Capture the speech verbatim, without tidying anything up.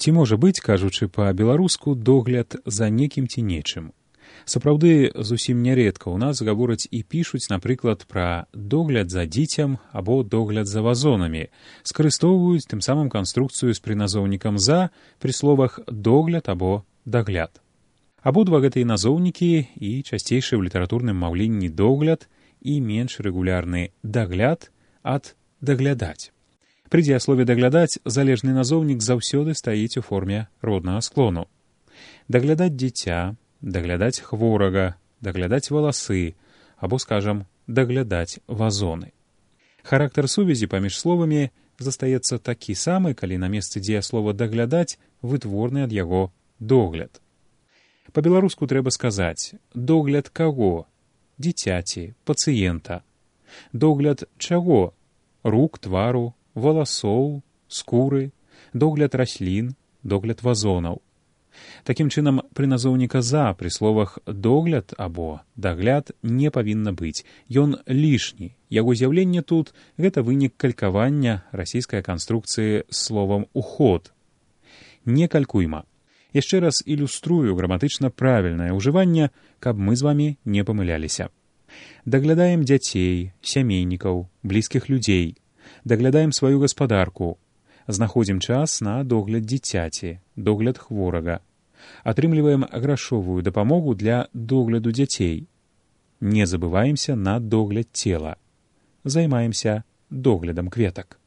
Ці можа быць, кажучы па-беларуску, догляд за некім ці нечым? Сапраўды, зусім нярэдка ў нас гавораць і пішуць, напрыклад, пра догляд за дзіцем або догляд за вазонамі, скарыстоўваюць тым самым канструкцыю з прыназоўнікам «за» пры словах «догляд» або «дагляд». Абодва гэтыя назоўнікі і часцейшы ў літаратурным маўленні догляд і менш рэгулярны дагляд ад даглядаць. Пры дзеяслове даглядаць залежны назоўнік заўсёды стаіць у форме роднага склону. Даглядаць дзіця, даглядаць хворага, даглядаць валасы або, скажам, даглядаць вазоны. Характар сувязі паміж словамі застаецца такі самы, калі на месцы дзеяслова даглядаць вытворны ад яго догляд. Па-беларуску трэба сказаць догляд каго? Дзіцяці, пацыента. Догляд чаго? Рук, твару, валасоў, скуры, догляд раслін, догляд вазонаў. Такім чынам, пры назоўніка «за» пры словах «догляд» або «дагляд» не павінна быць. Ён лішні. Яго з'яўленне тут – гэта вынік калькавання расійскай канструкцыі з словам «уход». Не калькуйма. Яшчэ раз ілюструю граматычна правільнае ўжыванне, каб мы з вамі не памыляліся. Даглядаем дзяцей, сямейнікаў, блізкіх людзей. Даглядаем сваю гаспадарку. Знаходзім час на догляд дзіцяці, догляд хворага. Атрымліваем грашовую дапамогу для догляду дзяцей. Не забываемся на догляд цела. Займаемся доглядам кветак.